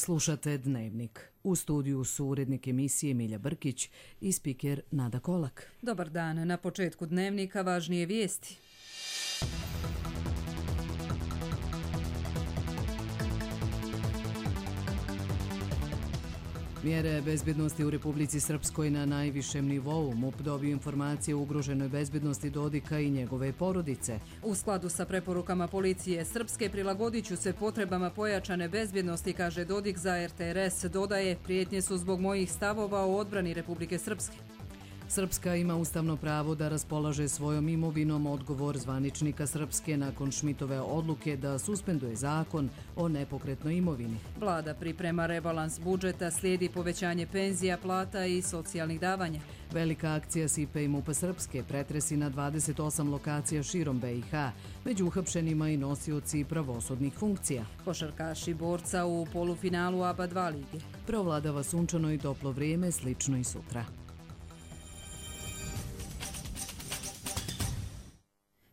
Slušate Dnevnik. U studiju su urednik emisije Milja Brkić i spiker Nada Kolak. Dobar dan. Na početku Dnevnika važnije vijesti. Mjere bezbjednosti u Republici Srpskoj na najvišem nivou. MUP dobio informacije o ugroženoj bezbjednosti Dodika i njegove porodice. U skladu sa preporukama policije Srpske prilagodit ću se potrebama pojačane bezbjednosti, kaže Dodik za RTRS. Dodaje, prijetnje su zbog mojih stavova o odbrani Republike Srpske. Srpska ima ustavno pravo da raspolaže svojom imovinom, odgovor zvaničnika Srpske nakon Šmitove odluke da suspenduje zakon o nepokretnoj imovini. Vlada priprema rebalans budžeta, slijedi povećanje penzija, plata i socijalnih davanja. Velika akcija SIPA i MUP-a Srpske, pretresi na 28 lokacija širom BiH, među uhapšenima i nosioci pravosudnih funkcija. Košarkaši borca u polufinalu ABA 2 lige. Provladava sunčano i toplo vrijeme, slično i sutra.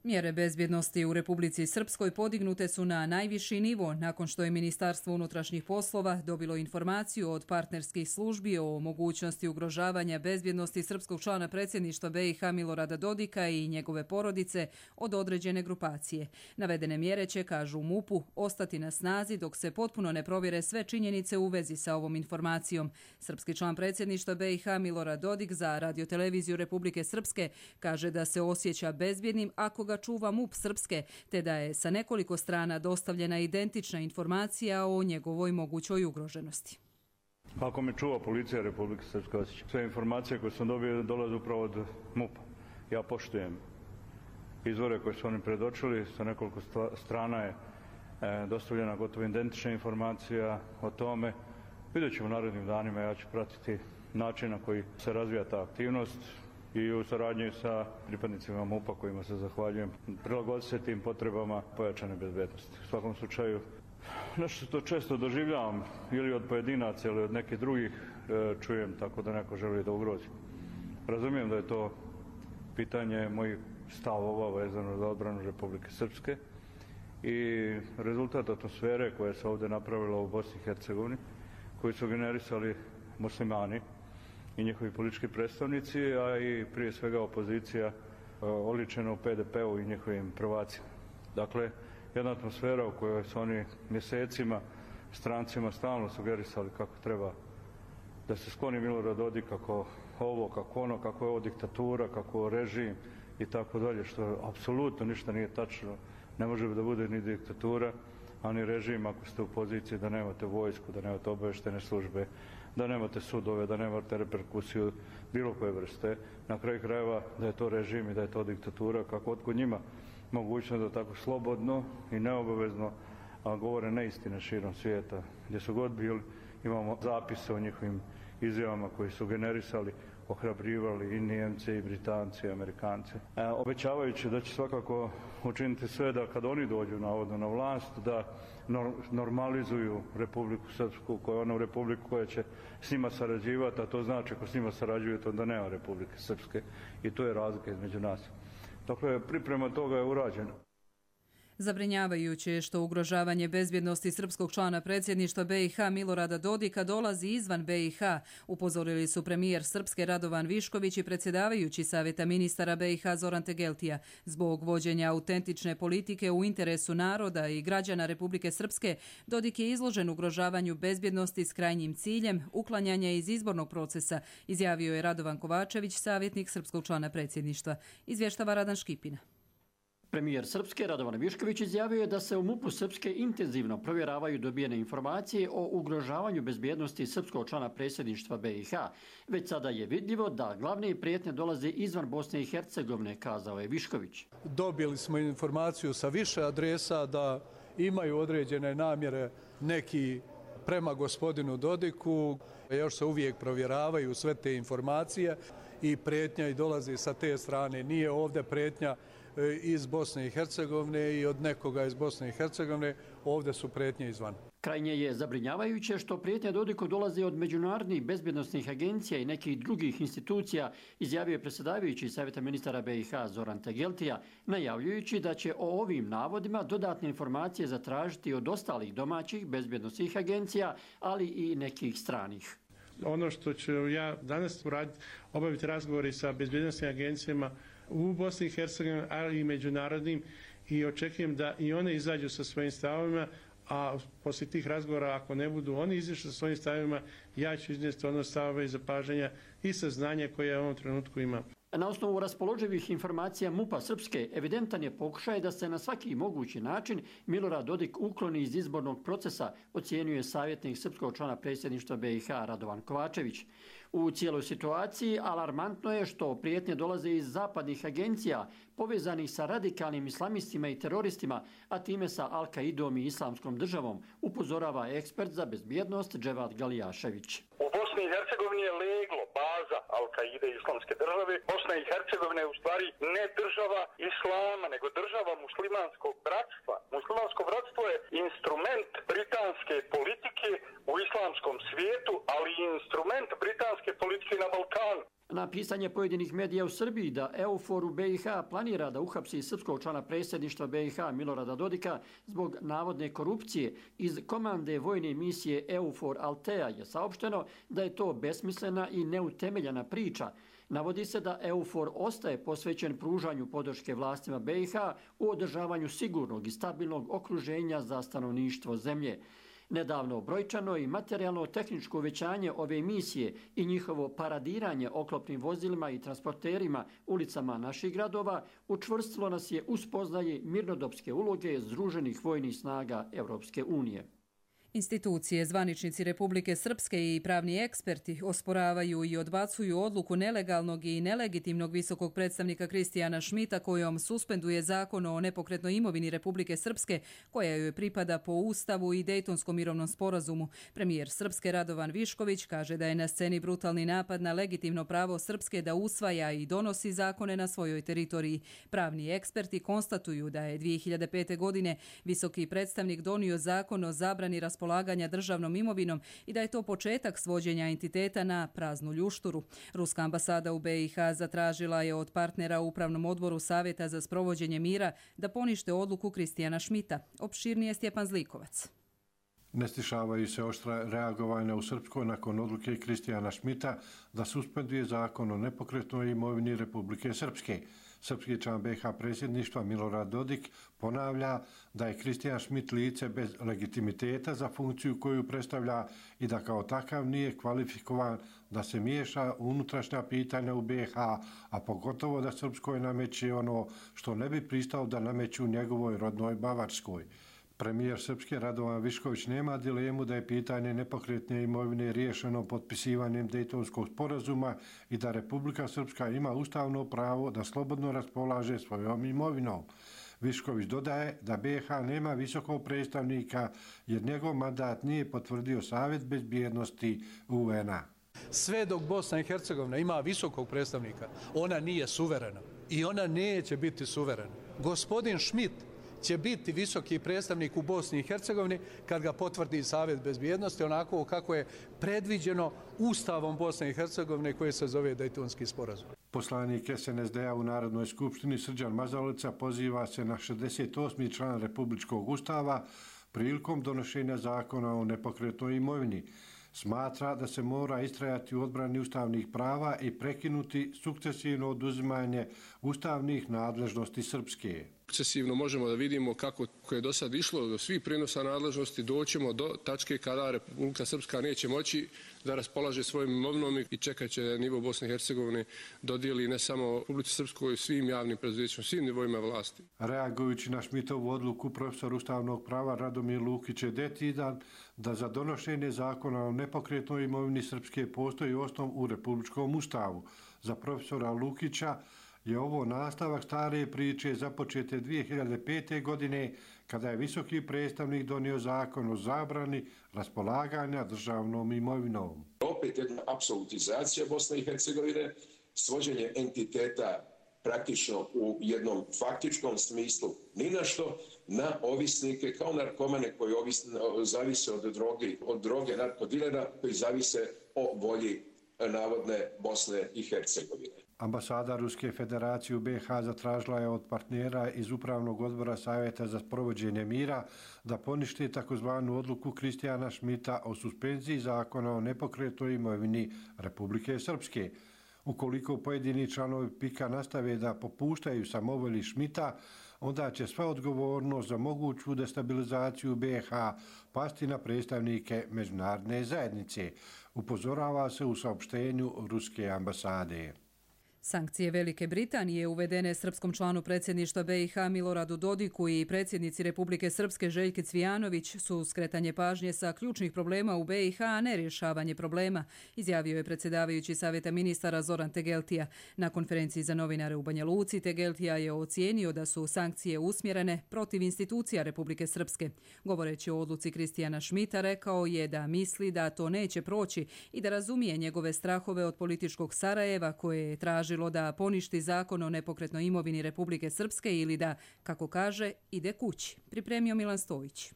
Mjere bezbjednosti u Republici Srpskoj podignute su na najviši nivo nakon što je Ministarstvo unutrašnjih poslova dobilo informaciju od partnerskih službi o mogućnosti ugrožavanja bezbjednosti srpskog člana predsjedništva BiH Milorada Dodika i njegove porodice od određene grupacije. Navedene mjere će, kažu u MUP-u, ostati na snazi dok se potpuno ne provjere sve činjenice u vezi sa ovom informacijom. Srpski član predsjedništva BiH Milorad Dodik za radioteleviziju Republike Srpske kaže da se osjeća bezbjednim ako ga čuva MUP Srpske, te da je sa nekoliko strana dostavljena identična informacija o njegovoj mogućoj ugroženosti. Ako me čuva policija Republike Srpske, sve informacije koje sam dobio dolaze upravo od MUP-a. Ja poštujem izvore koje su oni predočili, sa nekoliko strana je dostavljena gotovo identična informacija o tome. Vidjet ćemo narednim danima, ja ću pratiti način na koji se razvija ta aktivnost i u saradnji sa pripadnicima MUP-a kojima se zahvaljujem, prilagoditi se tim potrebama pojačane bezbednosti. U svakom slučaju, nešto što često doživljavam ili od pojedinaca ili od nekih drugih čujem tako da neko želi da ugrozi. Razumijem da je to pitanje mojih stavova vezano za odbranu Republike Srpske i rezultat atmosfere koja se ovdje napravila u Bosni i Hercegovini, koji su generisali muslimani i njihovi politički predstavnici, a i prije svega opozicija oličena u PDP-u i njihovim prvacima. Dakle, jedna atmosfera u kojoj su oni mjesecima strancima stalno sugerisali kako treba da se skloni Milorad Dodik, kako ovo, kako ono, kako je ovo diktatura, kako je ovo režim i tako dalje, što apsolutno ništa nije tačno. Ne može da bude ni diktatura, a ni režim ako ste u poziciji da nemate vojsku, da nemate obaveštene službe, da nemate sudove, da nemate reperkusiju bilo koje vrste. Na kraju krajeva da je to režim i da je to diktatura, kako otkud njima mogućnost da tako slobodno i neobavezno govore neistine širom svijeta. Gdje su god bili, imamo zapise o njihovim izjavama koji su generisali, ohrabrivali i Nijemce i Britanci i Amerikanci. Obećavajući da će svakako učiniti sve da kad oni dođu navodno na vlast, da normalizuju Republiku Srpsku, koja je ona republika koja će s njima sarađivati, a to znači ako s njima sarađujete onda nema Republike Srpske i to je razlika između nas. Dakle, priprema toga je urađena. Zabrinjavajuće je što ugrožavanje bezbjednosti srpskog člana predsjedništva BiH Milorada Dodika dolazi izvan BiH, upozorili su premijer Srpske Radovan Višković i predsjedavajući Savjeta ministara BiH Zoran Tegeltija. Zbog vođenja autentične politike u interesu naroda i građana Republike Srpske, Dodik je izložen ugrožavanju bezbjednosti s krajnjim ciljem uklanjanja iz izbornog procesa, izjavio je Radovan Kovačević, savjetnik srpskog člana predsjedništva. Izvještava Radan Škipina. Premijer Srpske Radovan Višković izjavio je da se u MUP-u Srpske intenzivno provjeravaju dobijene informacije o ugrožavanju bezbjednosti srpskog člana predsjedništva BiH. Već sada je vidljivo da glavne prijetnje dolaze izvan Bosne i Hercegovine, kazao je Višković. Dobili smo informaciju sa više adresa da imaju određene namjere neki prema gospodinu Dodiku. Još se uvijek provjeravaju sve te informacije i prijetnja i dolazi sa te strane. Nije ovdje prijetnja iz Bosne i Hercegovine i od nekoga iz Bosne i Hercegovine, ovdje su prijetnje izvana. Krajnje je zabrinjavajuće što prijetnje Dodiku dolaze od međunarodnih bezbjednosnih agencija i nekih drugih institucija, izjavio je predsjedavajući Savjeta ministara BiH Zoran Tegeltija, najavljujući da će o ovim navodima dodatne informacije zatražiti od ostalih domaćih bezbjednosnih agencija, ali i nekih stranih. Ono što ću ja danas uraditi, obaviti razgovori sa bezbjednosnim agencijama u Bosni i Hercegovini, ali i međunarodnim, i očekujem da i one izađu sa svojim stavovima, a poslije tih razgovora, ako ne budu oni izišli sa svojim stavima, ja ću iznijeti ono stavove i zapažanja i saznanja koje ja u ovom trenutku imam. Na osnovu raspoloživih informacija MUP-a Srpske, evidentan je pokušaj da se na svaki mogući način Milorad Dodik ukloni iz izbornog procesa, ocjenjuje savjetnik srpskog člana predsjedništva BiH Radovan Kovačević. U cijeloj situaciji alarmantno je što prijetnje dolaze iz zapadnih agencija povezanih sa radikalnim islamistima i teroristima, a time sa Al-Kaidom i Islamskom državom, upozorava ekspert za bezbjednost Dževad Galijašević. U Bosni i Hercegovini je leglo baza Al-Kaide i Islamske države. Bosna i Hercegovina je u stvari ne država islama, nego država muslimanskog bratstva. Muslimansko bratstvo je instrument britanske politike u islamskom svijetu, ali i instrument britanske politike na Balkanu. Na pisanje pojedinih medija u Srbiji da EUFOR u BiH planira da uhapsi srpskog člana predsjedništva BiH Milorada Dodika zbog navodne korupcije iz komande vojne misije EUFOR Altea je saopšteno da je to besmislena i neutemeljena priča. Navodi se da EUFOR ostaje posvećen pružanju podrške vlastima BiH u održavanju sigurnog i stabilnog okruženja za stanovništvo zemlje. Nedavno brojčano i materijalno-tehničko uvećanje ove misije i njihovo paradiranje oklopnim vozilima i transporterima ulicama naših gradova učvrstilo nas je u spoznaji mirnodopske uloge Združenih vojnih snaga Europske unije. Institucije, zvaničnici Republike Srpske i pravni eksperti osporavaju i odbacuju odluku nelegalnog i nelegitimnog visokog predstavnika Kristijana Šmita kojom suspenduje zakon o nepokretnoj imovini Republike Srpske koja joj pripada po Ustavu i Dejtonskom mirovnom sporazumu. Premijer Srpske Radovan Višković kaže da je na sceni brutalni napad na legitimno pravo Srpske da usvaja i donosi zakone na svojoj teritoriji. Pravni eksperti konstatuju da je 2005. godine visoki predstavnik donio zakon o zabrani raspolaganja državnom imovinom i da je to početak svođenja entiteta na praznu ljušturu. Ruska ambasada u BiH zatražila je od partnera u Upravnom odboru Savjeta za sprovođenje mira da ponište odluku Kristijana Šmita. Opširnije Stjepan Zlikovac. Ne stišavaju se oštra reagovanja u Srpskoj nakon odluke Kristijana Šmita da suspenduje zakon o nepokretnoj imovini Republike Srpske. Srpski član BiH predsjedništva Milorad Dodik ponavlja da je Kristijan Šmit lice bez legitimiteta za funkciju koju predstavlja i da kao takav nije kvalifikovan da se miješa u unutrašnja pitanja u BiH, a pogotovo da Srpskoj nameće ono što ne bi pristao da nameću njegovoj rodnoj Bavarskoj. Premijer Srpske Radovan Višković nema dilemu da je pitanje nepokretne imovine riješeno potpisivanjem Dejtonskog sporazuma i da Republika Srpska ima ustavno pravo da slobodno raspolaže svojom imovinom. Višković dodaje da BiH nema visokog predstavnika jer njegov mandat nije potvrdio Savjet bezbjednosti UN-a. Sve dok Bosna i Hercegovina ima visokog predstavnika, ona nije suverena i ona neće biti suverena. Gospodin Šmit će biti visoki predstavnik u Bosni i Hercegovini kad ga potvrdi Savjet bezbjednosti onako kako je predviđeno Ustavom Bosne i Hercegovine koji se zove Dejtonski sporazum. Poslanik SNSD-a u Narodnoj skupštini Srđan Mazalica poziva se na 68. član Republičkog ustava prilikom donošenja zakona o nepokretnoj imovini. Smatra da se mora istrajati u odbrani ustavnih prava i prekinuti sukcesivno oduzimanje ustavnih nadležnosti Srpske. Sukcesivno možemo da vidimo kako je do sad išlo do svih prenosa nadležnosti, doćemo do tačke kada Republika Srpska neće moći da raspolaže svojim imovinom i čekat će nivo Bosne i Hercegovine dodijeli ne samo Republici Srpskoj, svim javnim preduzećima, svim nivoima vlasti. Reagujući na Šmitovu odluku, profesor ustavnog prava Radomir Lukić je decidan da za donošenje zakona o nepokretnoj imovini Srpske postoji osnov u Republičkom ustavu. Za profesora Lukića je ovo nastavak stare priče započete 2005. godine kada je visoki predstavnik donio zakon o zabrani raspolaganja državnom imovinom. Opet jedna apsolutizacija Bosne i Hercegovine, svođenje entiteta praktično u jednom faktičkom smislu ni na što, na ovisnike kao narkomane koji zavise od droge narkodilera koji zavise o volji navodne Bosne i Hercegovine. Ambasada Ruske federacije u BiH zatražila je od partnera iz Upravnog odbora Savjeta za provođenje mira da ponište takozvanu odluku Kristijana Šmita o suspenziji zakona o nepokretnoj imovini Republike Srpske. Ukoliko pojedini članovi PIK-a nastave da popuštaju samovolji Šmita, onda će sva odgovornost za moguću destabilizaciju BiH pasti na predstavnike međunarodne zajednice, upozorava se u saopštenju Ruske ambasade. Sankcije Velike Britanije uvedene srpskom članu predsjedništva BiH Miloradu Dodiku i predsjednici Republike Srpske Željki Cvijanović su skretanje pažnje sa ključnih problema u BiH, a ne rješavanje problema, izjavio je predsjedavajući Savjeta ministara Zoran Tegeltija. Na konferenciji za novinare u Banja Luci Tegeltija je ocijenio da su sankcije usmjerene protiv institucija Republike Srpske. Govoreći o odluci Kristijana Šmita, rekao je da misli da to neće proći i da razumije njegove strahove od političkog Sarajeva koje je tražilo da poništi zakon o nepokretnoj imovini Republike Srpske ili da, kako kaže, ide kući. Pripremio Milan Stojić.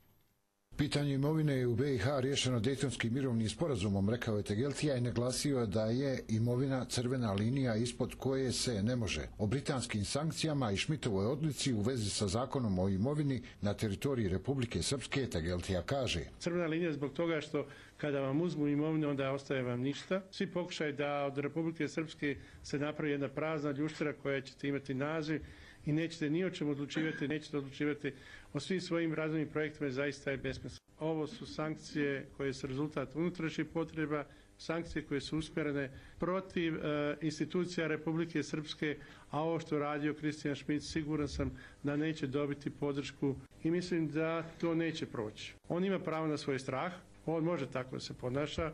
Pitanje imovine je u BiH riješeno Dejtonskim mirovnim sporazumom, rekao je Tegeltija i naglasio da je imovina crvena linija ispod koje se ne može. O britanskim sankcijama i Šmitovoj odluci u vezi sa zakonom o imovini na teritoriji Republike Srpske Tegeltija kaže: Crvena linija zbog toga što kada vam uzmu imovinu, onda ostaje vam ništa. Svi pokušaj da od Republike Srpske se napravi jedna prazna ljuštera koja ćete imati naziv i nećete ni o čemu odlučivati, nećete odlučivati o svim svojim razvojnim projektima, zaista je besmisleno. Ovo su sankcije koje su rezultat unutrašnjih potreba, sankcije koje su usmjerene protiv institucija Republike Srpske, a ovo što radio Kristijan Šmit siguran sam da neće dobiti podršku i mislim da to neće proći. On ima pravo na svoj strah, on može tako da se ponaša,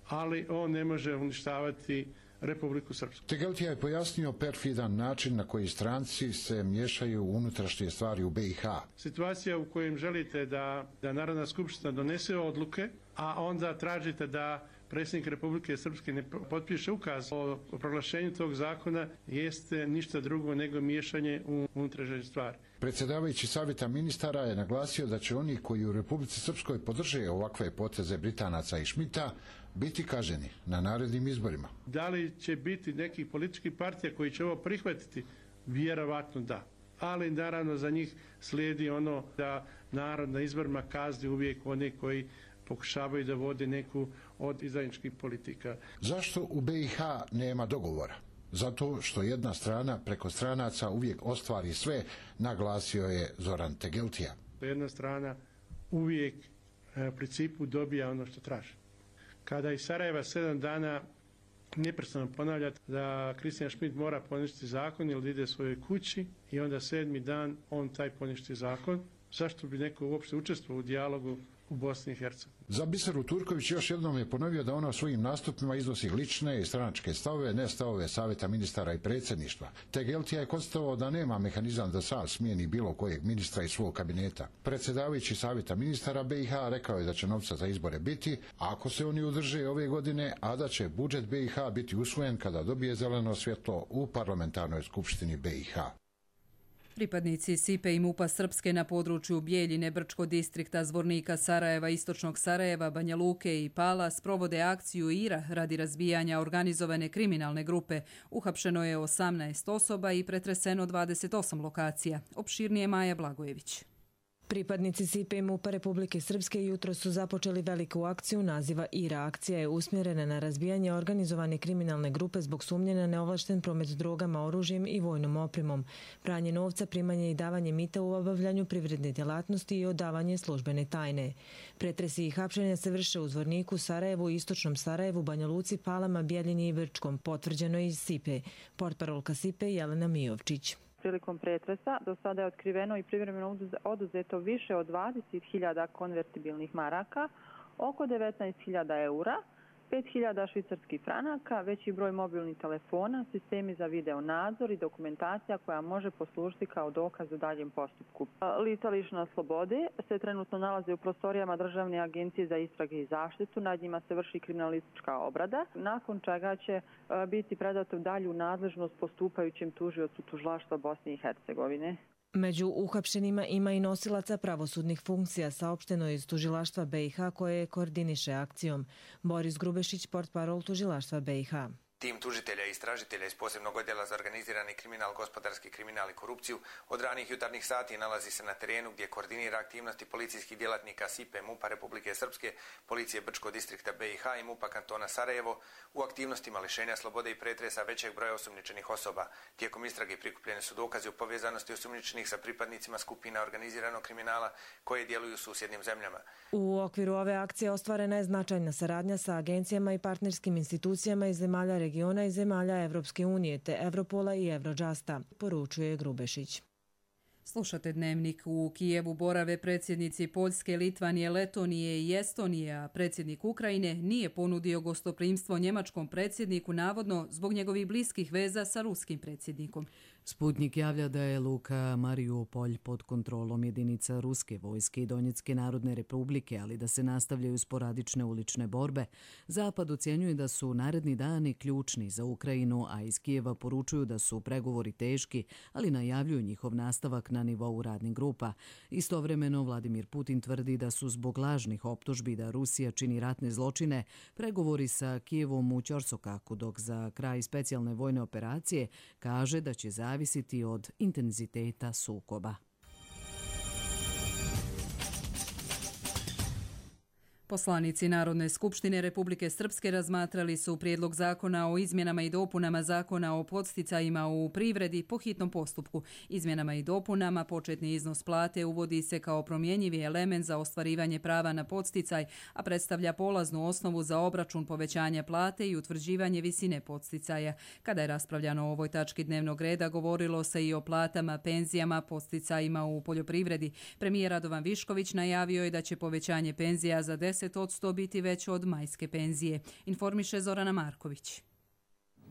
ali on ne može uništavati Republiku Srpsku. Tegeltija je pojasnio perfidan način na koji stranci se miješaju u unutrašnje stvari u BiH. Situacija u kojem želite da Narodna skupština donese odluke, a onda tražite da predsjednik Republike Srpske ne potpiše ukaz o proglašenju tog zakona, jeste ništa drugo nego miješanje u unutrašnje stvari. Predsjedavajući Savjeta ministara je naglasio da će oni koji u Republici Srpskoj podrže ovakve poteze Britanaca i Šmita biti kažnjeni na narednim izborima. Da li će biti nekih političkih partija koji će ovo prihvatiti? Vjerovatno da. Ali naravno za njih slijedi ono da narod na izborima kazni uvijek one koji pokušavaju da vode neku od izdajničkih politika. Zašto u BiH nema dogovora? Zato što jedna strana preko stranaca uvijek ostvari sve, naglasio je Zoran Tegeltija. Jedna strana uvijek u principu dobija ono što traži. Kada iz Sarajeva 7 dana neprestano ponavljati da Kristijan Šmit mora poništiti zakon ili ide svojoj kući i onda 7. dan on taj poništi zakon, zašto bi neko uopšte učestvovao u dijalogu u Bosni i Hercegovini? Za Biseru Turković još jednom je ponovio da ona u svojim nastupima iznosi lične i stranačke stavove, ne stavove Savjeta ministara i predsjedništva. Tegeltija je konstatovao da nema mehanizam da sam smijeni bilo kojeg ministra iz svog kabineta. Predsjedavajući Savjeta ministara BiH rekao je da će novca za izbore biti, ako se oni udrže ove godine, a da će budžet BiH biti usvojen kada dobije zeleno svjetlo u parlamentarnoj skupštini BiH. Pripadnici SIPE i MUP-a Srpske na području Bijeljine, Brčko distrikta, Zvornika, Sarajeva, Istočnog Sarajeva, Banja Luke i Pala sprovode akciju IRA radi razbijanja organizovane kriminalne grupe. Uhapšeno je 18 osoba i pretreseno 28 lokacija. Opširnije Maja Blagojević. Pripadnici SIPE i MUP-a Republike Srpske jutro su započeli veliku akciju naziva IRA. Akcija je usmjerena na razbijanje organizovane kriminalne grupe zbog sumnje na neovlašten promet drogama, oružjem i vojnom opremom, pranje novca, primanje i davanje mita u obavljanju privredne djelatnosti i odavanje službene tajne. Pretresi i hapšenja se vrše u Zvorniku, Sarajevu, Istočnom Sarajevu, Banja Luci, Palama, Bijeljini i Brčkom, potvrđeno iz SIPE. Portparolka SIPE Jelena Mijovčić. Prilikom pretresa do sada je otkriveno i privremeno oduzeto više od 20.000 konvertibilnih maraka, oko 19.000 eura, 5.000 švicarskih franaka, veći broj mobilnih telefona, sistemi za video nadzor i dokumentacija koja može poslužiti kao dokaz u daljem postupku. Lica lišena slobode se trenutno nalaze u prostorijama Državne agencije za istrage i zaštitu, nad njima se vrši kriminalistička obrada, nakon čega će biti predato dalju nadležnost postupajućem tužiocu tužilaštva Bosne i Hercegovine. Među uhapšenima ima i nosilaca pravosudnih funkcija, saopšteno iz tužilaštva BiH koje koordiniše akcijom. Boris Grubešić, portparol tužilaštva BiH. Tim tužitelja i istražitelja iz posebnog odjela za organizirani kriminal, gospodarski kriminal i korupciju od ranih jutarnjih sati nalazi se na terenu gdje koordinira aktivnosti policijskih djelatnika SIPE MUP-a Republike Srpske, Policije Brčko distrikta BiH i MUP-a kantona Sarajevo u aktivnostima lišenja slobode i pretresa većeg broja osumnjičenih osoba. Tijekom istrage prikupljeni su dokazi o povezanosti osumnjičenih sa pripadnicima skupina organiziranog kriminala koje djeluju u susjednim zemljama. U okviru ove akcije ostvarena je značajna saradnja sa agencijama i partnerskim institucijama iz zemalja regiona i zemalja Evropske unije te Evropola i Eurojusta, poručuje Grubešić. Slušate Dnevnik. U Kijevu borave predsjednici Poljske, Litvanije, Letonije i Estonije, a predsjednik Ukrajine nije ponudio gostoprimstvo njemačkom predsjedniku navodno zbog njegovih bliskih veza sa ruskim predsjednikom. Sputnik javlja da je luka Mariupolj pod kontrolom jedinica ruske vojske i Donjecke narodne republike, ali da se nastavljaju sporadične ulične borbe. Zapad ocjenjuje da su naredni dani ključni za Ukrajinu, a iz Kijeva poručuju da su pregovori teški, ali najavljuju njihov nastavak na nivou radnih grupa. Istovremeno Vladimir Putin tvrdi da su zbog lažnih optužbi da Rusija čini ratne zločine pregovori sa Kijevom u Ćorsokaku, dok za kraj specijalne vojne operacije kaže da će zavisiti od intenziteta sukoba. Poslanici Narodne skupštine Republike Srpske razmatrali su prijedlog zakona o izmjenama i dopunama zakona o podsticajima u privredi po hitnom postupku. Izmjenama i dopunama početni iznos plate uvodi se kao promjenjivi element za ostvarivanje prava na podsticaj, a predstavlja polaznu osnovu za obračun povećanja plate i utvrđivanje visine podsticaja. Kada je raspravljano o ovoj tački dnevnog reda, govorilo se i o platama, penzijama, podsticajima u poljoprivredi. Premijer Radovan Višković najavio je da će povećanje penzija za 10% biti veće od majske penzije, informiše Zorana Marković.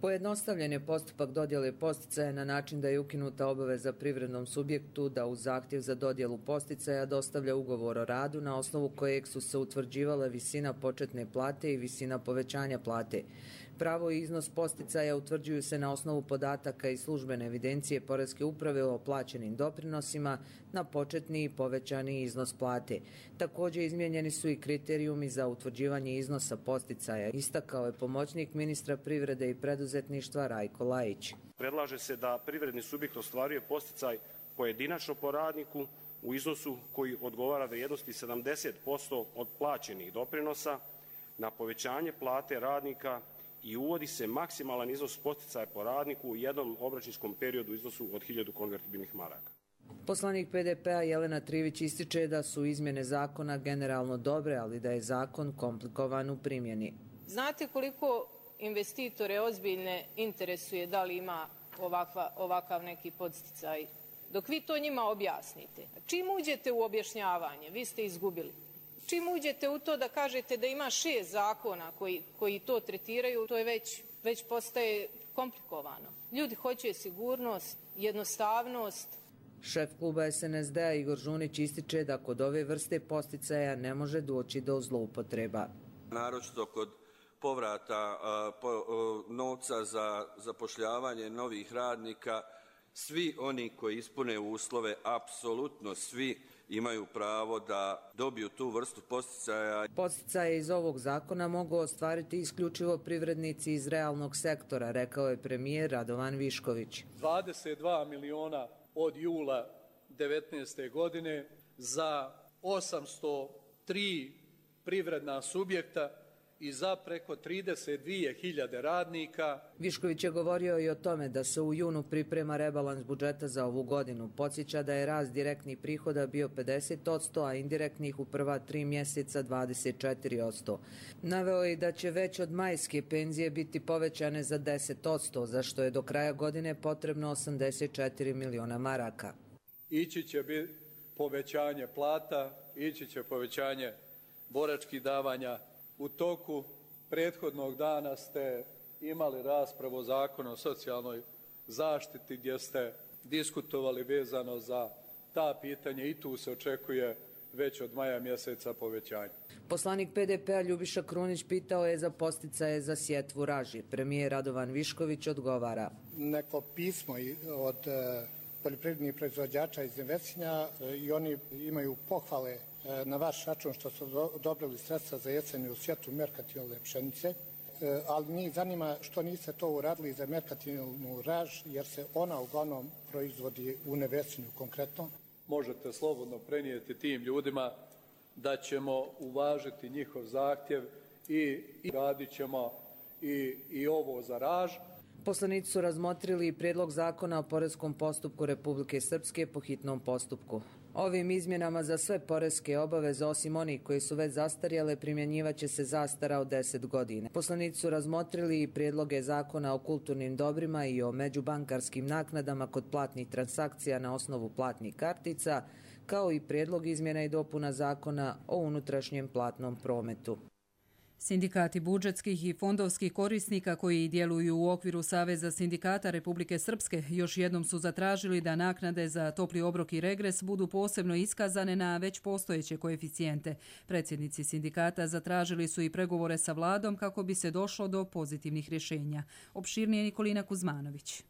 Pojednostavljen je postupak dodjele podsticaja na način da je ukinuta obaveza privrednom subjektu da uz zahtjev za dodjelu podsticaja dostavlja ugovor o radu na osnovu kojeg su se utvrđivale visina početne plate i visina povećanja plate. Pravo i iznos podsticaja utvrđuju se na osnovu podataka iz službene evidencije Poreske uprave o plaćenim doprinosima na početni i povećani iznos plate. Također izmijenjeni su i kriterijumi za utvrđivanje iznosa podsticaja, istakao je pomoćnik ministra privrede i preduzetništva Rajko Lajić. Predlaže se da privredni subjekt ostvaruje podsticaj pojedinačno po radniku u iznosu koji odgovara vrijednosti 70% od plaćenih doprinosa na povećanje plate radnika i uvodi se maksimalan iznos podsticaja po radniku u jednom obračunskom periodu u iznosu od 1000 konvertibilnih maraka. Poslanik PDP-a Jelena Trivić ističe da su izmjene zakona generalno dobre, ali da je zakon komplikovan u primjeni. Znate koliko investitore ozbiljne interesuje da li ima ovakav neki podsticaj? Dok vi to njima objasnite, čim uđete u objašnjavanje, vi ste izgubili. Čim uđete u to da kažete da ima 6 zakona koji to tretiraju, to je već postaje komplikovano. Ljudi hoće sigurnost, jednostavnost. Šef kluba SNSD-a Igor Žunić ističe da kod ove vrste podsticaja ne može doći do zloupotreba. Naročito kod povrata novca za zapošljavanje novih radnika, svi oni koji ispune uslove, apsolutno svi, imaju pravo da dobiju tu vrstu podsticaja. Podsticaje iz ovog zakona mogu ostvariti isključivo privrednici iz realnog sektora, rekao je premijer Radovan Višković. 22 miliona od jula 19. godine za 803 privredna subjekta i za preko 32.000 radnika. Višković je govorio i o tome da se u junu priprema rebalans budžeta za ovu godinu. Podsjeća da je rast direktnih prihoda bio 50%, a indirektnih u prva 3 mjeseca 24%. Naveo je da će već od majske penzije biti povećane za 10%, za što je do kraja godine potrebno 84 miliona maraka. Ići će biti povećanje plata, ići će povećanje boračkih davanja. U toku Prethodnog dana ste imali raspravu o zakonu o socijalnoj zaštiti gdje ste diskutovali vezano za ta pitanja i tu se očekuje već od maja mjeseca povećanje. Poslanik PDP-a Ljubiša Krunić pitao je za podsticaje za sjetvu raži. Premijer Radovan Višković odgovara. Neko pismo od poljoprivrednih proizvođača iz Nevesinja i oni imaju pohvale na vaš račun što su odobrili sredstva za jesenju sjetvu merkantilne pšenice, ali njih zanima što niste to uradili za merkantilnu raž jer se ona uglavnom proizvodi u Nevesinju konkretno. Možete slobodno prenijeti tim ljudima da ćemo uvažiti njihov zahtjev i radit ćemo i ovo za raž. Poslanici su razmotrili i prijedlog zakona o poreskom postupku Republike Srpske po hitnom postupku. Ovim izmjenama za sve poreske obaveze, osim onih koji su već zastarjele, primjenjivaće se zastara od 10 godina. Poslanici su razmotrili i prijedloge zakona o kulturnim dobrima i o međubankarskim naknadama kod platnih transakcija na osnovu platnih kartica, kao i prijedlog izmjena i dopuna zakona o unutrašnjem platnom prometu. Sindikati budžetskih i fondovskih korisnika koji djeluju u okviru Saveza sindikata Republike Srpske još jednom su zatražili da naknade za topli obrok i regres budu posebno iskazane na već postojeće koeficijente. Predsjednici sindikata zatražili su i pregovore sa vladom kako bi se došlo do pozitivnih rješenja. Opširnije Nikolina Kuzmanović.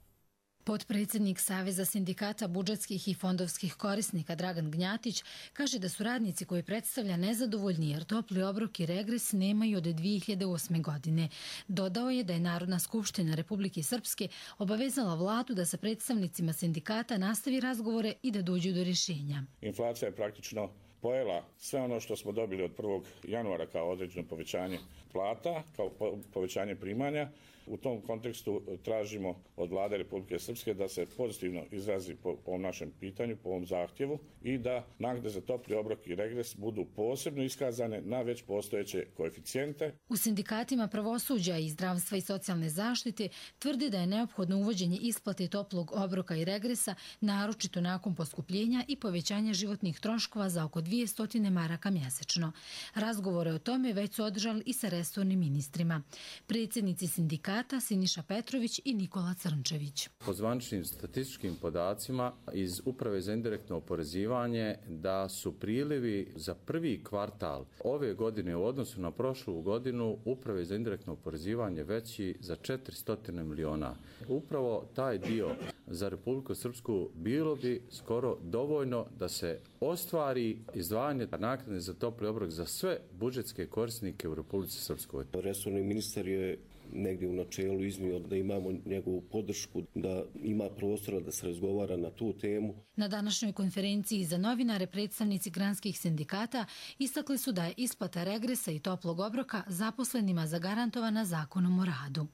Potpredsjednik Saveza sindikata budžetskih i fondovskih korisnika Dragan Gnjatić kaže da su radnici koji predstavlja nezadovoljni jer topli obrok i regres nemaju od 2008. godine. Dodao je da je Narodna skupština Republike Srpske obavezala vladu da sa predstavnicima sindikata nastavi razgovore i da dođu do rješenja. Inflacija je praktično pojela sve ono što smo dobili od 1. januara kao određeno povećanje plata, kao povećanje primanja. U tom kontekstu tražimo od vlade Republike Srpske da se pozitivno izrazi po ovom našem pitanju, po ovom zahtjevu i da naknade za topli obrok i regres budu posebno iskazane na već postojeće koeficijente. U sindikatima pravosuđa i zdravstva i socijalne zaštite tvrde da je neophodno uvođenje isplate toplog obroka i regresa, naročito nakon poskupljenja i povećanja životnih troškova za oko 200 maraka mjesečno. Razgovore o tome već su održali i sa resornim ministrima. Predsjednici sindikata Siniša Petrović i Nikola Crnčević. Po zvaničnim statističkim podacima iz Uprave za indirektno oporezivanje da su prilivi za prvi kvartal ove godine u odnosu na prošlu godinu Uprave za indirektno oporezivanje veći za 400 miliona. Upravo taj dio za Republiku Srpsku bilo bi skoro dovoljno da se ostvari izdvajanje naknade za topli obrok za sve budžetske korisnike u Republici Srpskoj. Resorni ministar je negdje u načelu iznio da imamo njegovu podršku, da ima prostora da se razgovara na tu temu. Na današnjoj konferenciji za novinare predstavnici granskih sindikata istakli su da je isplata regresa i toplog obroka zaposlenima zagarantovana Zakonom o radu.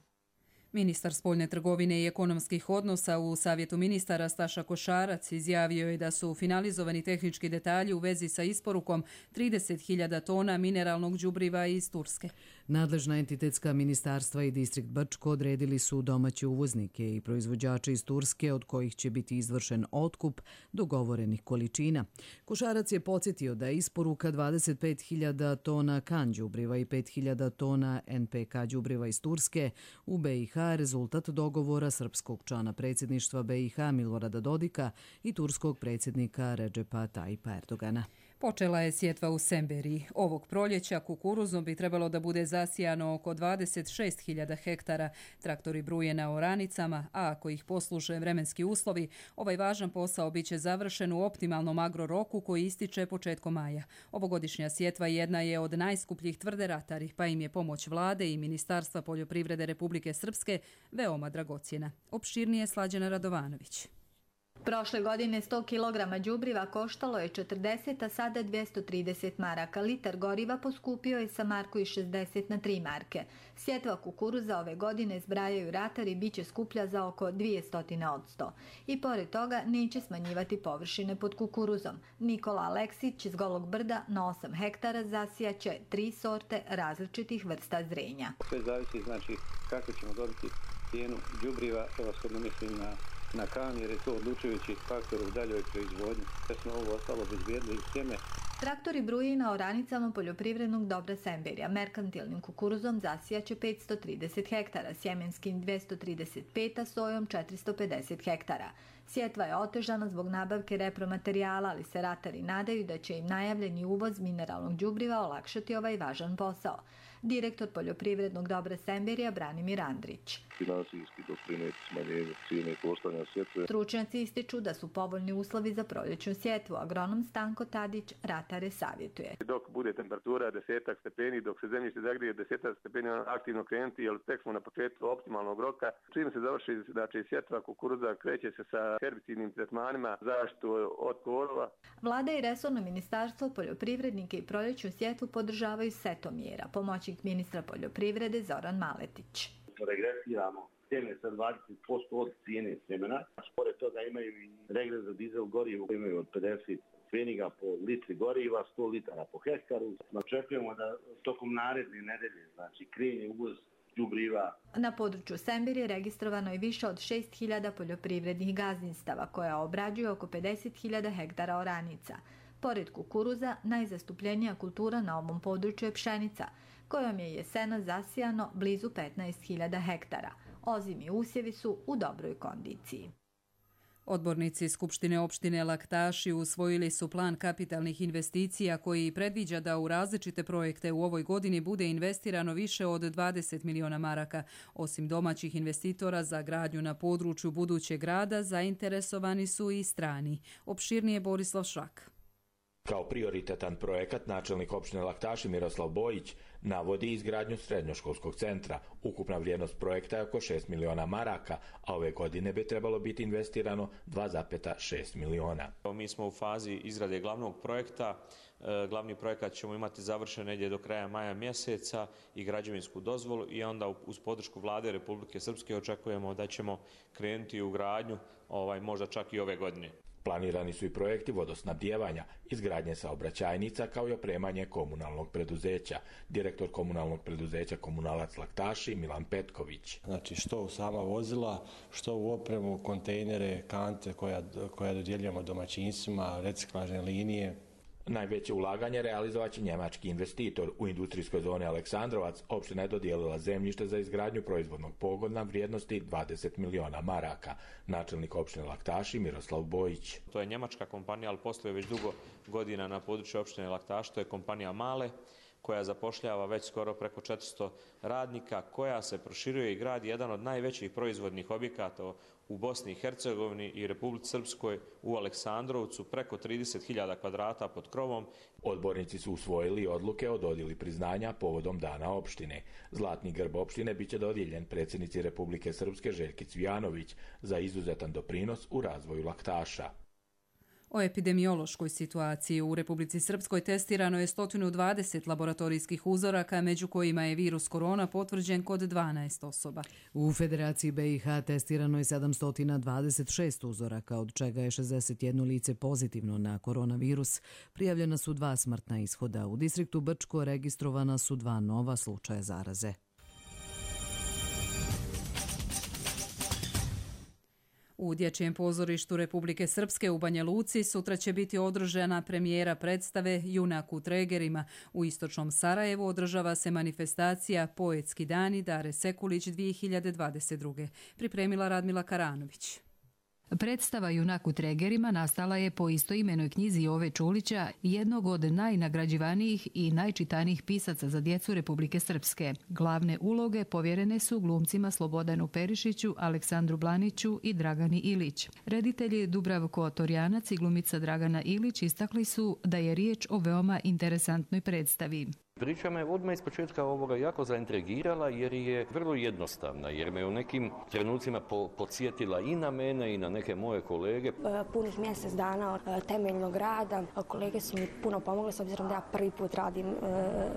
Ministar spoljne trgovine i ekonomskih odnosa u Savjetu ministara Staša Košarac izjavio je da su finalizovani tehnički detalji u vezi sa isporukom 30.000 tona mineralnog đubriva iz Turske. Nadležna entitetska ministarstva i distrikt Brčko odredili su domaće uvoznike i proizvođače iz Turske od kojih će biti izvršen otkup dogovorenih količina. Košarac je podsjetio da je isporuka 25.000 tona kan đubriva i 5.000 tona NPK đubriva iz Turske u BiH rezultat dogovora srpskog člana predsjedništva BiH Milorada Dodika i turskog predsjednika Redžepa Tayyipa Erdogana. Počela je sjetva u Semberiji. Ovog proljeća kukuruzom bi trebalo da bude zasijano oko 26.000 hektara. Traktori bruje na oranicama, a ako ih posluže vremenski uslovi, ovaj važan posao biće završen u optimalnom agroroku koji ističe početkom maja. Ovogodišnja sjetva jedna je od najskupljih tvrde ratari, pa im je pomoć vlade i Ministarstva poljoprivrede Republike Srpske veoma dragocjena. Opširnije Slađana Radovanović. Prošle godine 100 kg đubriva koštalo je 40, a sada 230 maraka. Litar goriva poskupio je sa marku i 60 na 3 marke. Sjetva kukuruza ove godine, zbrajaju ratari, biće skuplja za oko 200%. I pored toga neće smanjivati površine pod kukuruzom. Nikola Aleksić iz Golog Brda na 8 hektara zasijaće 3 sorte različitih vrsta zrenja. Sve zavisi kako ćemo dobiti cijenu đubriva, prevashodno mislim na kan, jer je to odlučujući faktor u daljoj proizvodnji. Da smo ovo ostalo bezbjedili sjeme Traktori bruje na oranicama poljoprivrednog dobra Semberija. Merkantilnim kukuruzom zasijaće 530 hektara, sjemenskim 235, a sojom 450 hektara. Sjetva je otežana zbog nabavke repromaterijala, ali se ratari nadaju da će im najavljeni uvoz mineralnog đubriva olakšati ovaj važan posao. Direktor poljoprivrednog dobra Semberija Branimir Andrić. Finansijski doprineti smanjenju cijene koštanja sjetve. Stručnjaci ističu da su povoljni uslovi za proljećnu sjetvu. Agronom Stanko Tadić ratare savjetuje. Dok bude temperatura 10 stepeni, dok se zemljište zagrije 10 stepeni, aktivno krenuti, jer tek smo na početku optimalnog roka. Čim se završi, znači sjetva kukuruza, kreće se sa herbicidnim tretmanima, zaštitu od korova. Vlada i resorno ministarstvo poljoprivrednike i proljećnu sjetvu podržavaju setom mjera. Pomoćnik ministra poljoprivrede Zoran Maletić. Regresiramo sjeme sa 20% od cijene sjemena. Pored toga imaju i regres za dizel gorivo koji imaju od 50 pfeniga po litri goriva, 100 litara po hektaru. Očekujemo da tokom naredne nedelje, znači krene uvoz đubriva. Na području Semberije registrovano je više od 6.000 poljoprivrednih gazdinstava koja obrađuju oko 50.000 hektara oranica. Pored kukuruza, najzastupljenija kultura na ovom području je pšenica, kojom je jesena zasijano blizu 15.000 hektara. Ozimi usjevi su u dobroj kondiciji. Odbornici Skupštine opštine Laktaši usvojili su plan kapitalnih investicija koji predviđa da u različite projekte u ovoj godini bude investirano više od 20 miliona maraka. Osim domaćih investitora za gradnju na području budućeg grada, zainteresovani su i strani. Opširnije Borislav Šak. Kao prioritetan projekat načelnik opštine Laktaši Miroslav Bojić navodi izgradnju srednjoškolskog centra. Ukupna vrijednost projekta je oko 6 miliona maraka, a ove godine bi trebalo biti investirano 2,6 miliona. Mi smo u fazi izrade glavnog projekta. Glavni projekat ćemo imati završen negdje do kraja maja mjeseca i građevinsku dozvolu i onda uz podršku Vlade Republike Srpske očekujemo da ćemo krenuti u gradnju možda čak i ove godine. Planirani su i projekti vodosnabdijevanja, izgradnje saobraćajnica kao i opremanje komunalnog preduzeća. Direktor komunalnog preduzeća Komunalac Laktaši Milan Petković. Znači što u sama vozila, što u opremu, kontejnere, kante koja dodjeljujemo domaćinstvima, reciklažne linije. Najveće ulaganje realizovat će njemački investitor. U industrijskoj zoni Aleksandrovac opština je dodijelila zemljište za izgradnju proizvodnog pogona vrijednosti 20 miliona maraka. Načelnik opštine Laktaši Miroslav Bojić. To je njemačka kompanija, ali posluje već dugo godina na području opštine Laktaš. To je kompanija Male, koja zapošljava već skoro preko 400 radnika, koja se proširuje i gradi jedan od najvećih proizvodnih objekata u Bosni i Hercegovini i Republici Srpskoj u Aleksandrovcu, preko 30.000 kvadrata pod krovom. Odbornici su usvojili odluke o dodjeli priznanja povodom dana opštine. Zlatni grb opštine biće dodijeljen predsjednici Republike Srpske Željki Cvijanović za izuzetan doprinos u razvoju Laktaša. O epidemiološkoj situaciji u Republici Srpskoj testirano je 120 laboratorijskih uzoraka, među kojima je virus korona potvrđen kod 12 osoba. U Federaciji BiH testirano je 726 uzoraka, od čega je 61 lice pozitivno na koronavirus. Prijavljena su 2 smrtna ishoda. U distriktu Brčko registrovana su 2 nova slučaja zaraze. U Dječjem pozorištu Republike Srpske u Banja Luci sutra će biti održana premijera predstave Junak u tregerima. U istočnom Sarajevu održava se manifestacija Poetski dani Dare Sekulić 2022. Pripremila Radmila Karanović. Predstava Junak u tregerima nastala je po istoimenoj knjizi Jove Čulića, jednog od najnagrađivanijih i najčitanijih pisaca za djecu Republike Srpske. Glavne uloge povjerene su glumcima Slobodanu Perišiću, Aleksandru Blaniću i Dragani Ilić. Reditelji Dubravko Torjanac i glumica Dragana Ilić istakli su da je riječ o veoma interesantnoj predstavi. Priča me odmah iz početka ovoga jako zaintrigirala jer je vrlo jednostavna, jer me u nekim trenucima podsjetila i na mene i na neke moje kolege. Punih mjesec dana temeljnog rada, kolege su mi puno pomogle s obzirom da ja prvi put radim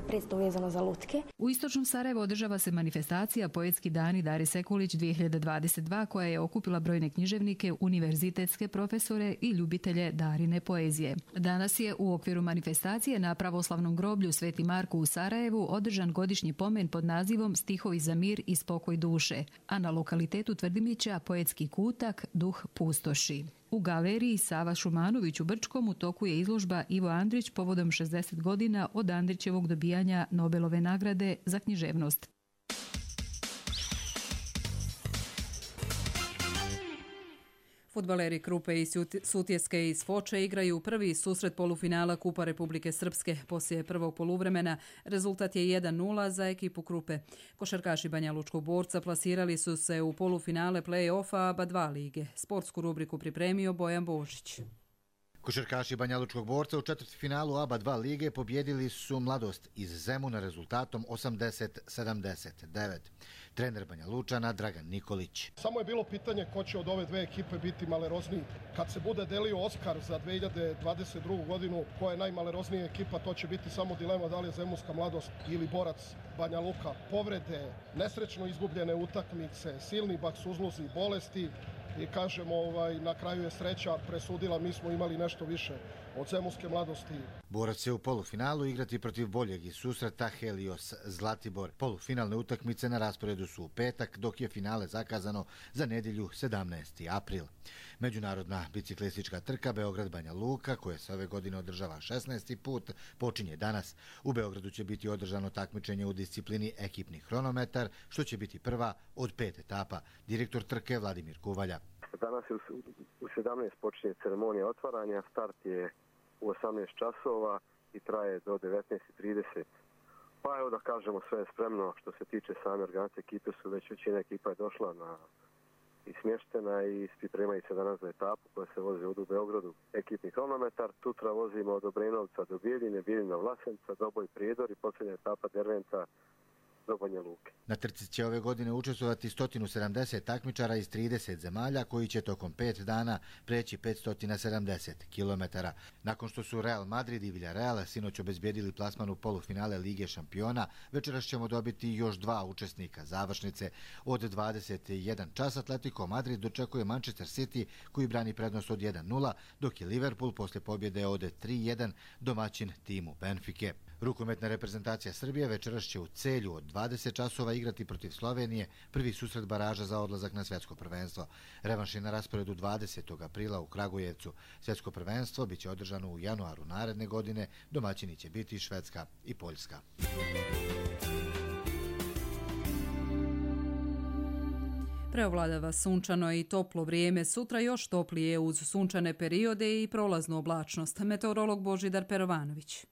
predstavu vezano za lutke. U istočnom Sarajevu održava se manifestacija Poetski dani Dare Sekulić 2022 koja je okupila brojne književnike, univerzitetske profesore i ljubitelje Darine poezije. Danas je u okviru manifestacije na pravoslavnom groblju Sveti Marko parku u Sarajevu održan godišnji pomen pod nazivom Stihovi za mir i spokoj duše, a na lokalitetu Tvrdimića poetski kutak Duh pustoši. U galeriji Sava Šumanović u Brčkom u toku je izložba Ivo Andrić povodom 60 godina od Andrićevog dobijanja Nobelove nagrade za književnost. Fudbaleri Krupe i Sutjeske iz Foče igraju prvi susret polufinala Kupa Republike Srpske. Poslije prvog poluvremena rezultat je 1:0 za ekipu Krupe. Košarkaši Banja Lučkog Borca plasirali su se u polufinale play-offa ABA 2 lige. Sportsku rubriku pripremio Bojan Božić. Košarkaši Banja Lučkog Borca u četvrtfinalu ABA 2 lige pobjedili su Mladost iz Zemuna rezultatom 80-79. Trener Banja Lučana Dragan Nikolić. Samo je bilo pitanje ko će od ove dve ekipe biti malerozniji. Kad se bude delio Oskar za 2022. godinu, koja je najmaleroznija ekipa, to će biti samo dilema da li je Zemunska Mladost ili Borac Banja Luka. Povrede, nesrećno izgubljene utakmice, silni baksuzluzi i bolesti. I kažemo, na kraju je sreća presudila, mi smo imali nešto više od Zemunske Mladosti. Borac će u polufinalu igrati protiv boljeg iz susreta Helios Zlatibor. Polufinalne utakmice na rasporedu su u petak, dok je finale zakazano za nedjelju 17. april. Međunarodna biciklistička trka Beograd-Banja Luka, koja se ove godine održava 16. put, počinje danas. U Beogradu će biti održano takmičenje u disciplini ekipni hronometar, što će biti prva od 5 etapa. Direktor trke Vladimir Kuvalja. Danas u 17 počinje ceremonija otvaranja, start je u 18 časova i traje do 19:30. Pa evo da kažemo, sve je spremno što se tiče same organizacije ekipe, su već većina ekipa je došla i smještena i pripremaju se danas za etapu koja se vozi ovdje u Beogradu, ekipni hronometar. Sutra vozimo od Obrenovca do Bijeljine, Bijeljina Vlasenca, Doboj Prijedor i posljednja etapa Derventa do Banja Luke. Na trci će ove godine učestvovati 170 takmičara iz 30 zemalja koji će tokom 5 dana preći 570 km. Nakon što su Real Madrid i Villarreal sinoć obezbijedili plasman u polufinale Lige šampiona, večeras ćemo dobiti još 2 učesnika završnice. Od 21 čas Atletico Madrid dočekuje Manchester City koji brani prednost od 1:0, dok je Liverpool posle pobjede od 3:1 domaćin timu Benfike. Rukometna reprezentacija Srbije večeras će u Celju od 20 časova igrati protiv Slovenije, prvi susret baraža za odlazak na svjetsko prvenstvo. Revanš je na rasporedu 20. aprila u Kragujevcu. Svjetsko prvenstvo biće održano u januaru naredne godine, domaćini će biti Švedska i Poljska. Preovladava sunčano i toplo vrijeme, sutra još toplije uz sunčane periode i prolaznu oblačnost. Meteorolog Božidar Perovanović.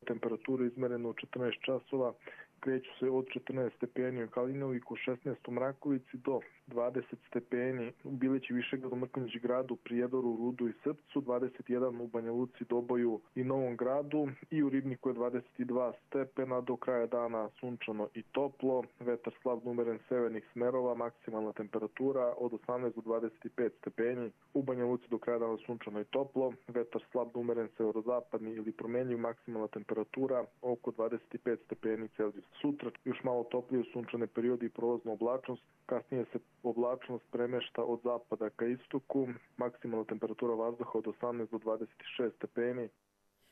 Temperatura izmerena u 14 časova kreću se od 14 stepeni u Kalinoviku, 16 u Mrakovici do 20 stepeni u Bilići, Višegradu, Mrkonjić gradu, Prijedoru, Rudu i Srpcu, 21 u Banja Luci, Doboju i Novom gradu i u Ribniku je 22 stepena, do kraja dana sunčano i toplo, vetar slab umeren severnih smerova, maksimalna temperatura od 18 do 25 stepeni, u Banja Luci do kraja dana sunčano i toplo, vetar slab umeren severozapadni ili promjenjiv, maksimalna temperatura oko 25 stepeni Celzijus. Sutra još malo toplije sunčane periodi i prolazna oblačnost, kasnije se oblačnost premešta od zapada ka istoku, maksimalna temperatura vazduha od 18 do 26 stepeni.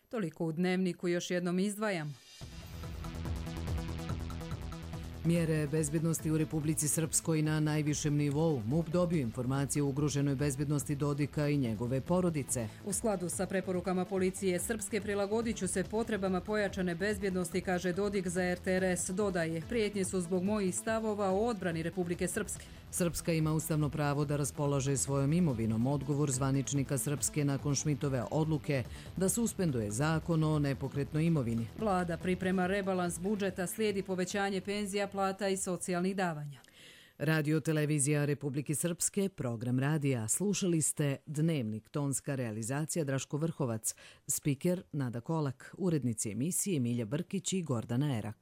Toliko u dnevniku, još jednom izdvajam. Mjere bezbjednosti u Republici Srpskoj na najvišem nivou. MUP dobio informacije o ugroženoj bezbjednosti Dodika i njegove porodice. U skladu sa preporukama policije Srpske prilagodit ću se potrebama pojačane bezbjednosti, kaže Dodik za RTRS. Dodaje, prijetnje su zbog mojih stavova o odbrani Republike Srpske. Srpska ima ustavno pravo da raspolaže svojom imovinom. Odgovor zvaničnika Srpske nakon Šmitove odluke da suspenduje zakon o nepokretnoj imovini. Vlada priprema rebalans budžeta, slijedi povećanje penzija, plata i socijalnih davanja. Radio televizija Republike Srpske, program radija. Slušali ste Dnevnik, tonska realizacija Draško Vrhovac, spiker Nada Kolak, urednici emisije Milja Brkić i Gordana Erak.